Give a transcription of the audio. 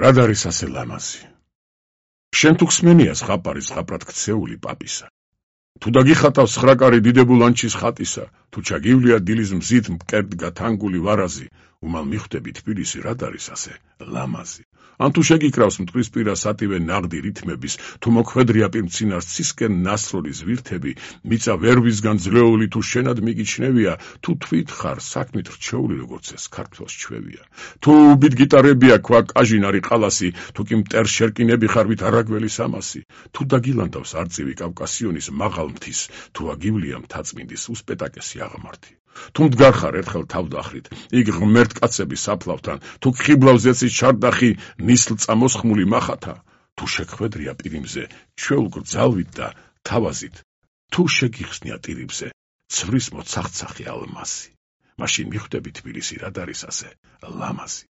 რად არის ასე ლამაზი? შენ თუ ხსმენია ზღაპარის ზღაპრად ქცეული პაპისა. თუ დაგიხატავს ხრაკარი დიდებულ ანჩის ხატისა, თუ ჩაგივლია დილის მზით მკერდ გათანგული ვარაზი, უმალ მიხვდები თბილისი რად არის ასე ლამაზი. ან თუ შეგიკრავს მტკვრისპირა სატივე ნაღდი რითმების, თუ მოქმედრია პირმცინარს ცისკენ ნასროლი ზვირთები, მიწა ვერვისგან ძლეული თუ შენად მიგიჩნევია, თუ თვით ხარ საქმით რჩეული როგორც ეს ქართველს ჩვევია, თუ უბით გიტარებია ქვა კაჟინარი ყალასი, თუ კი მტერ შერკინები ხარ ვით არაგველი სამასი, თუ დაგილანდავს არწივი კავკასიონის მაღალ მთის, თუ აგივლია მთაწმინდის უსპეტაკესი აღმართი. თუ მდგარ ხარ ერთხელ თავდახრით, იქ ღმერთ კაცების საფლავთან, თუ ხიბლავს ეცის ჩარდახი ნისლ წამოსხმული მახათა, თუ შექმედრია პირიმზე ჩვეულ გრძალვით და თავაზით, თუ შეგიხსნია ტირიბზე ცვრის მოცახცახი ალმასი, მაშინ მიხვდები თბილისი რად არის ასე ლამაზი.